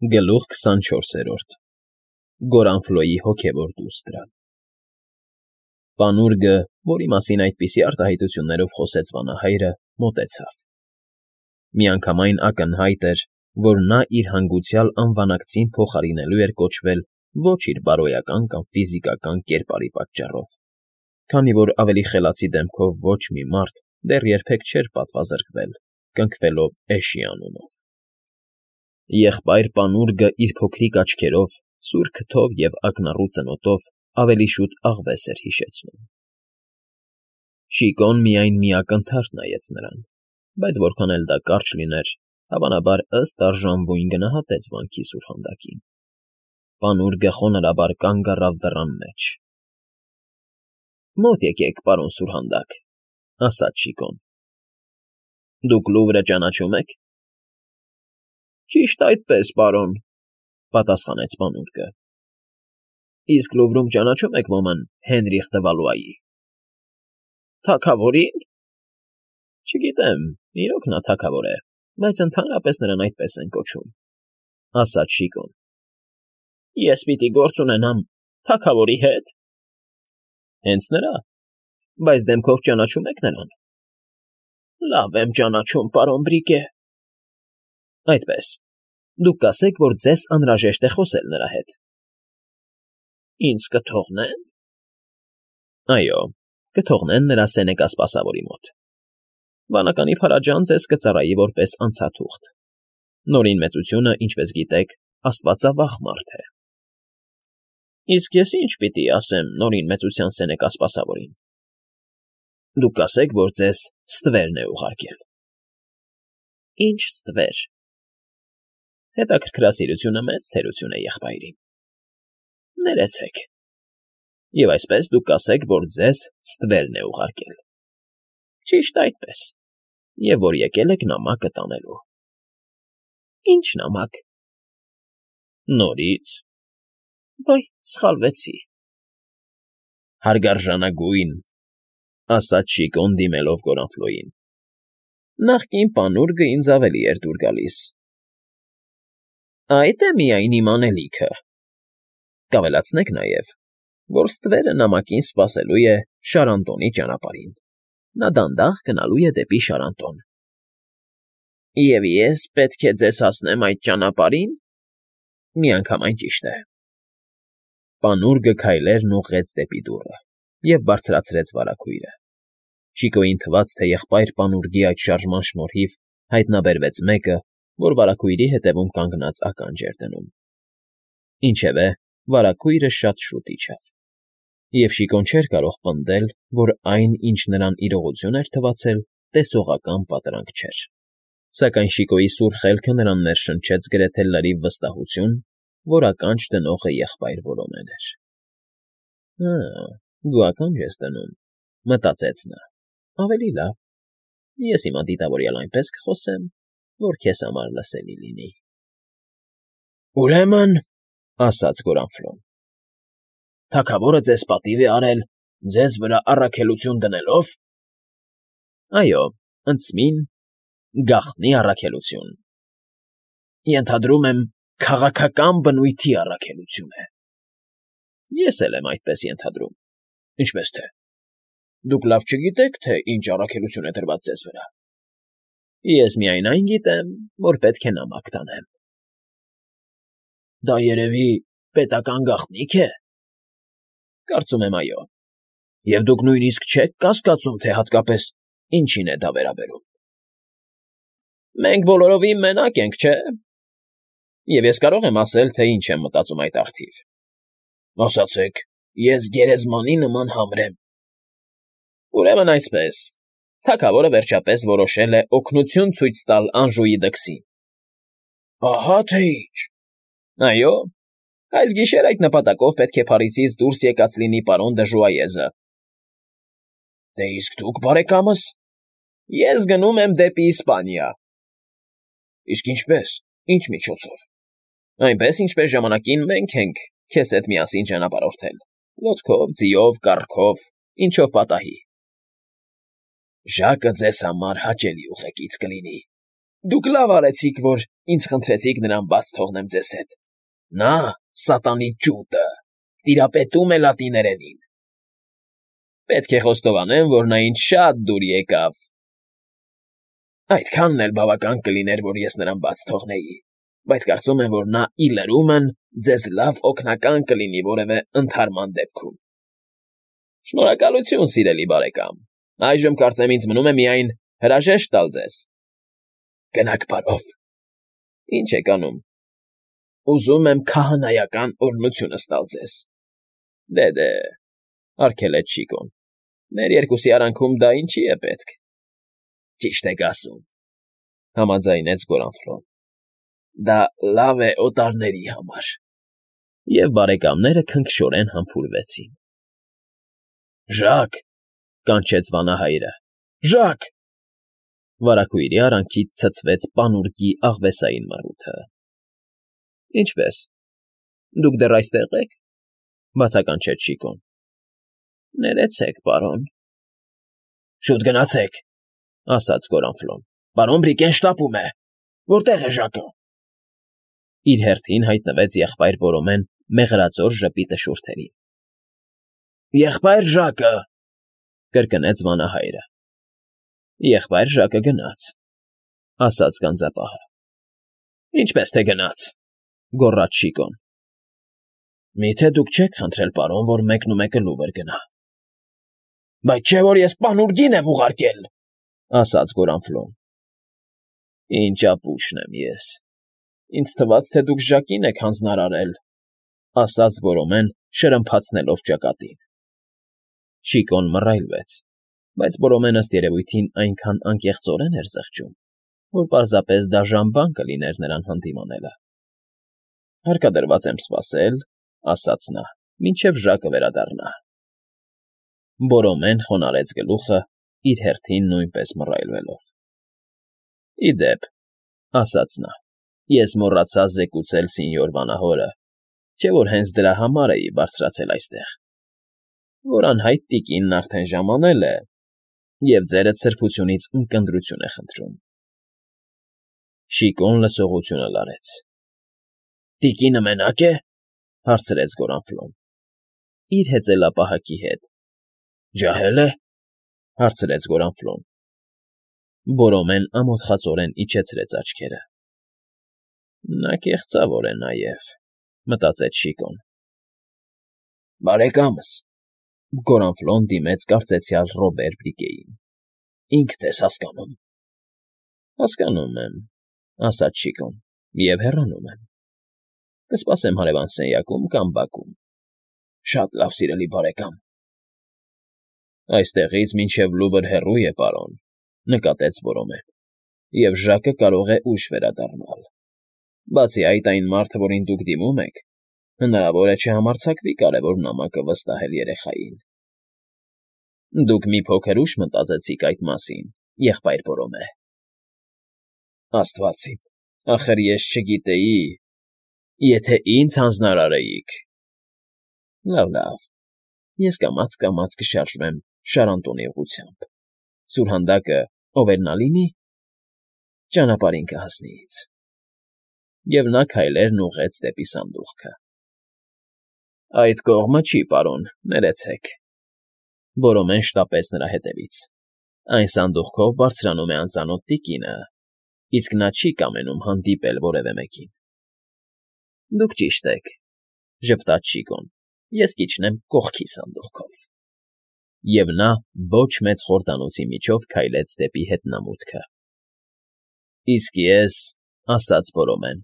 Գլուխ 24 Գորանֆլոյի հոգևոր դուստրը Պանուրգը, որի մասին այդպիսի արտահայտություններով խոսեց վանահայրը, մոտեցավ. միանգամայն ակնհայտ էր, որ նա իր հանգուցյալ անվանակցին փոխարինելու էր կոչվել ոչ իր բարոյական կամ ֆիզիկական կերպարի պատճառով, քանի որ ավելի խելացի դեմքով ոչ մի մարդ դեռ երբեք չէր պատվազրկվել, կնքվելով Էշի անունով։ Եղբայր Պանուրգը իր փոքրիկ աչքերով, սուր քթով և ակնառու ծնոտով ավելի շուտ աղվես էր հիշեցնում։ Շիկոն միայն մի ակնթարթ նայեց նրան, բայց որքան էլ դա կարճ լիներ, հավանաբար ըստ արժանվույն գնահատեց վանքի սուրհանդակին։ Պանուրգը խոնարհաբար կանգ առավ դռան մեջ։ ֊ Մոտ եկեք, պարոն սուրհանդակ, ֊ ասաց Շիկոն։ ֊ Դուք Լուվրը ճանաչում եք։ ֊ Ճիշտ այդպես, պարոն, ֊ պատասխանեց Պանուրգը։ ֊ Իսկ Լուվրում ճանաչում եք ոմն Հենրիխ դը Վալուայի։ ֊ Թագավորի՞ն։ ֊ Չգիտեմ, իրոք նա թագավոր է, բայց ընդհանրապես նրան այդպես են կոչում, ֊ ասաց Շիկոն։ ֊ Ես պիտի գործ ունենամ թագավորի հետ։ ֊ Հենց նրա, բայց դեմքով ճանաչում եք նրան։ ֊ Լավ եմ ճանաչում, պարոն Բրիկե։ ֊ Այդպես, դուք կասեք, որ ձեզ անհրաժեշտ է խոսել նրա հետ։ ֊ Ինձ կթողնե՞ն։ ֊ Այո, կթողնեն նրա սենեկա սպասավորի մոտ։ Վանականի փարաջան ձեզ կծառայի որպես անցաթուղթ։ Նորին մեծությունը, ինչպես գիտեք, աստվածավախ մարդ է։ ֊ Իսկ ես ի՞նչ պիտի ասեմ Նորին մեծության սենեկա սպասավորին։ ֊ Դուք կասեք, որ ձեզ ստվերն է ուղարկել։ ֊ Ի՞նչ ստվեր։ ֊ Հետաքրքրասիրությունը մեծ թերություն է, եղբայրին։ ֊ Ներեցեք։ ֊ Եվ այսպես դուք կասեք, որ ձեզ ստվերն է ուղարկել։ ֊ Ճիշտ այդպես, և որ եկել եք նամակը տանելու։ ֊ Ի՞նչ նամակ։ ֊ Նորից։ ֊ Վայ, սխալվեցի։ ֊ Հարգարժանագույն, ֊ ասաց Շիկոն դիմելով Գորանֆլոյին։ ֊ Նախկին Պանուրգը ինձ ավելի էր դուր գալիս։ ֊ Այդ է միայն իմ անելիքը։ Կավելացնեք նաև, որ ստվերը նամակին սպասելու է Շարանտոնի ճանապարհին։ Նա դանդաղ գնալու է դեպի Շարանտոն։ ֊ Եվ ես պետք է ձեզ հասնեմ այդ ճանապարհին։ ֊ Միանգամայն ճիշտ է։ Պանուրգը քայլերն ուղղեց դեպի դուռը և բարձրացրեց վարագույրը։ Շիկոյին թվաց, թե եղբայր Պանուրգի այդ շարժման շնորհիվ հայտնաբերվեց մեկը, որ վարագույրի հետևում կանգնած ականջ էր դնում։ Ինչևէ, վարագույրը շատ շուտ իջավ, և Շիկոն չէր կարող պնդել, որ այն, ինչ նրան իրողություն էր թվացել, տեսողական պատրանք չէր, սակայն Շիկոյի սուր խելքը նրան ներշնչեց գրեթե լրիվ վստահություն, որ ականջ դնողը եղբայր Որոնեն էր։ «Հը, դու ականջ ես դնում,֊ մտածեց նա,֊ ավելի լավ, ես հիմա դիտավորյալ այնպես կխոսեմ, որ քեզ համար լսելի լինի»։ ֊ Ուրեմն, ֊ ասաց Գորանֆլոն, ֊ թագավորը ձեզ պատիվ է արել ձեզ վրա առաքելություն դնելով։ ֊ Այո, ընծմին, գաղտնի առաքելություն։ ֊ Ենթադրում եմ, քաղաքական բնույթի առաքելություն է։ ֊ Ես էլ եմ այդպես ենթադրում։ ֊ Ինչպես թե։ Դուք լավ չգիտեք, թե ինչ առաքելություն է դրված ձեզ վրա։ ֊ Ես միայն այն գիտեմ, որ պետք է նամակ տանեմ։ ֊ Դա երևի պետական գաղտնի՞ք է։ ֊ Կարծում եմ, այո։ ֊ Եվ դուք նույնիսկ չեք կասկածում, թե հատկապես ինչին է դա վերաբերում։ ֊ Մենք բոլորովին մենակ ենք, չէ՞։ Եվ ես կարող եմ ասել, թե ինչ եմ մտածում այդ առթիվ։ ֊ Ասացեք, ես գերեզմանի նման համրեմ։ ֊ Ուրեմն այսպես, թագավորը վերջապես որոշել է օգնություն ցույց տալ Անժուի դքսին։ ֊ Ահա թե ինչ։ ֊ Այո, այս գիշեր այդ նպատակով պետք է Փարիզից դուրս եկած լինի պարոն դը Ժուայեզը։ ֊ Դե իսկ դուք, բարեկամս։ ֊ Ես գնում եմ դեպի Իսպանիա։ ֊ Իսկ ինչպե՞ս, ինչ միջոցով։ ֊ Այնպես, ինչպես ժամանակին մենք ենք քեզ հետ միասին ճանապարհորդել՝ ոտքով, ձիով, կառքով, ինչով պատահի։ ֊ Ժակը ձեզ համար հաճելի ուղեկից կլինի, Դուք լավ արեցիք, որ ինձ խնդրեցիք նրան բաց թողնեմ ձեզ հետ. նա սատանի ջութը, տիրապետում է լատիներենին։ Պետք է խոստովանեմ, որ նա ինձ շատ դուր եկավ։ Այդքանն էլ բավական կլիներ, որ ես նրան բաց թողնեի, բայց կարծում եմ, որ նա ի լրումն ձեզ լավ օգնական կլինի որևէ ընդհարման դեպքում։ Շնորհակալություն, սիրելի բարեկամ, այժմ կարծեմ ինձ մնում է միայն հրաժեշտ տալ ձեզ։ Գնաք բարով։ Ինչ եք անում։ Ուզում եմ քահանայական օրհնությունս տալ ձեզ։ Դե, արգելեց Շիկոն։ Մեր երկուսի արանքում դա ինչի է պետք։ Ճիշտ եք ասում, համաձայնեց Գորանֆլոն։ Դա լավ է օտարների համար։ Եվ բարեկամները քնքշորեն համբուրվեցին։ Ժակ, կանչեց վանահայրը։ Ժակ։ Վարագույրի արանքից ցցվեց պանուրջի աղվեսային մռութը։ Ինչպե՞ս։ Դուք դեռ այստեղ եք, բացականչեց Շիկոն։ Ներեցեք, պարոն։ Շուտ գնացեք, ասաց Գորանֆլոն։ Պարոն Բրիկեն շտապում է։ Որտեղ է Ժակը։ Իր հերթին հայտնվեց եղբայր Բորոմեն մեղրածոր ժպիտը շուրթերին։ Եղբայր Ժակը, կրկնեց վանահայրը։ Եղբայր Ժակը գնաց, ասաց գանձապահը։ Ինչպես թե գնաց, գոռաց Շիկոն։ Միթե դուք չեք խնդրել, պարոն, որ մեկնումեկը լուվր գնա։ Բայց չէ՞ որ ես պանուրջին եմ ուղարկել, ասաց Գորանֆլոն։ Ինչ ապուշն եմ ես։ Ինձ թվաց, թե դուք Ժակին եք հանձնարարել, ասաց Բորոմեն, շրմփացնելով ճակատին։ Շիկոն մռայլվեց, բայց Բորոմեն ըստ երևույթին այնքան անկեղծորեն էր զղջում, որ պարզապես դաժան բան կլիներ նրան հանդիմանելը։ Հարկադրված եմ սպասել, ասաց նա, մինչև Ժակը վերադառնա։ Բորոմեն խոնարհեց գլուխը, իր հերթին նույնպես մռայլվելով։ Ի դեպ, ասաց նա, ես մոռացա զեկուցել սինյոր վանահորը, չէ՞ որ հենց դրա համար էի բարձրացել այստեղ, որ անհայտ տիկինն արդեն ժամանել է և ձերդ սրբությունից ունկնդրություն է խնդրում։ Շիկոն լսողությունը լարեց։ Տիկինը մենակ է, հարցրեց Գորանֆլոն։ Իր հեծելապահակի հետ։ Ջահել է, հարցրեց Գորանֆլոն։ Բորոմեն ամոթխածորեն իջեցրեց աչքերը։ Նա կեղծավոր է նաև, մտածեց Շիկոն։ Բարեկամս, Գորանֆլոն դիմեց կարծեցյալ Ռոբեր Բրիկեին։ Ինքդ ես հասկանում։ Հասկանում եմ, ասաց Շիկոն, և հեռանում եմ։ Կսպասեմ հարևան սենյակում կամ բակում։ Շատ լավ, սիրելի բարեկամ։ Այստեղից մինչև Լուվր հեռու է, պարոն, նկատեց Բորոմեն, և Ժակը կարող է ուշ վերադառնալ։ Բացի այդ, այն մարդը, որին դուք դիմում եք, հնարավոր է չհամարձակվի կարևոր նամակը վստահել երեխային։ Դուք մի փոքր ուշ մտածեցիք այդ մասին, եղբայր Բորոմե։ Աստված իմ, ախր ես չգիտեի, եթե ինձ հանձնարարեիք։ Լավ, ես կամաց կշարժվեմ Շարանտոնի ուղղությամբ։ Սուրհանդակը ով էր նա լինի, ճանապարհին կհասնի ինձ։ Եվ նա քայլերն ուղղեց դեպի սանդուղքը։ Այդ կողմը չի, պարոն, ներեցեք։ Բորոմեն շտապեց նրա հետևից։ Այն սանդուղքով բարձրանում է անծանոթ տիկինը, իսկ նա չի կամենում հանդիպել որևէ մեկին։ Դուք ճիշտ եք, ժպտաց Շիկոն, ես կիջնեմ կողքի սանդուղքով։ Եվ նա ոչ մեծ խորդանոցի միջով քայլեց դեպի հետնամուտքը։ Իսկ ես, ասաց Բորոմեն,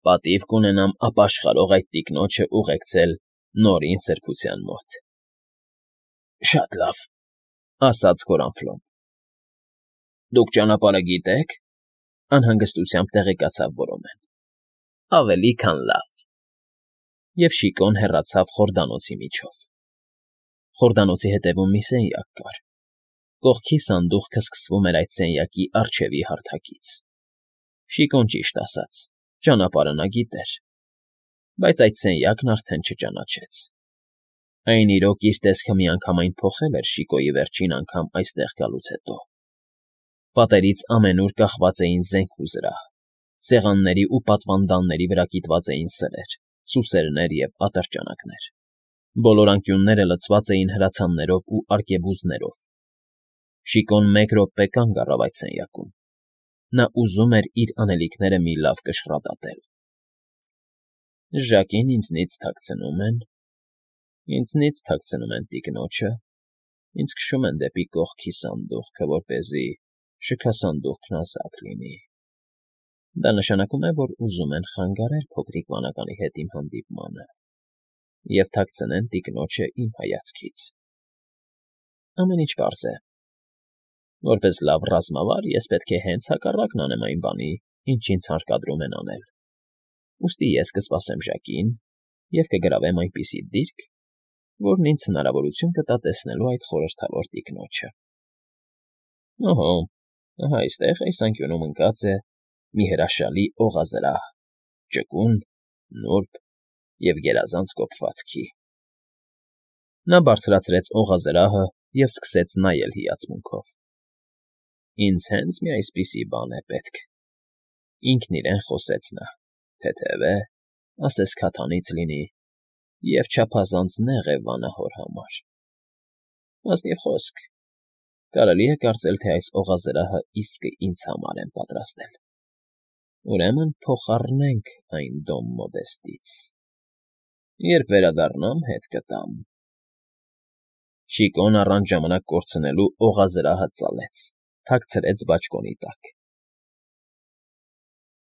պատիվ կունենամ ապաշխարող այդ տիկնոջը ուղեկցել նորին սրբության մոտ։ Շատ լավ, ասաց Գորանֆլոն։ Դուք ճանապարհը գիտե՞ք, անհանգստությամբ տեղեկացավ Բորոմեն։ Ավելի քան լավ։ Եվ Շիկոն հեռացավ խորդանոցի միջով։ Խորդանոցի հետևում մի սենյակ կար։ Կողքի սանդուղքը սկսվում էր այդ սենյակի առջևի հարթակից։ Շիկոն ճիշտ ասաց, ճանապարհը նա գիտեր, բայց այդ սենյակն արդեն չճանաչեց։ Այն իրոք իր տեսքը միանգամայն փոխել էր Շիկոյի վերջին անգամ այստեղ գալուց հետո։ Պատերից ամենուր կախված էին զենք ու զրահ, սեղանների ու պատվանդանների վրա կիտված էին սրեր, սուսերներ և ատրճանակներ, բոլոր անկյունները լցված էին հրացաններով ու արկեբուզներով։ Շիկոն մեկ րոպե կանգ առավ այդ սենյակում. նա ուզում էր իր անելիքները մի լավ կշռադատել։ Ժակին ինձնից թաքցնում են տիկնոջը, ինձ քշում են դեպի կողքի սանդուղքը, որպեսզի շքասանդուղքն ազատ լինի։ Դա նշանակում է, որ ուզում են խանգարել փոքրիկ վանականի հետ իմ հանդիպմանը և թաքցնեն տիկնոջը իմ հայացքից։ Ամեն ինչ պարզ է։ Որպես լավ ռազմավար ես պետք է հենց հակառակն անեմ այն բանի, ինչ ինձ հարկադրում են անել։ Ուստի ես կսպասեմ Ժակին և կգրավեմ այնպիսի դիրք, որն ինձ հնարավորություն կտա տեսնելու այդ խորհրդավոր տիկնոջը։ Օհո, ահա այստեղ այս անկյունում ընկած է մի հրաշալի օղազրահ, ճկուն, նուրբ և գերազանց կոփվածքի։ Նա բարձրացրեց օղազրահը և սկսեց նայել հիացմունքով։ Ինձ հենց մի այսպիսի բան է պետք։ Ինքն իրեն խոսեց նա, թեթև է, ասես քաթանից լինի, և չափազանց նեղ է վանահոր համար։ Ազնիվ խոսք, կարելի է կարծել, թե այս օղազրահը իսկը ինձ համար են պատրաստել։ Ուրեմն փոխառնենք այն Դոն Մոդեստից։ Երբ վերադառնամ, հետ կտամ։ Շիկոն առանց ժամանակ կորցնելու օղազրահը ծալեց, թաքցրեց բաճկոնի տակ։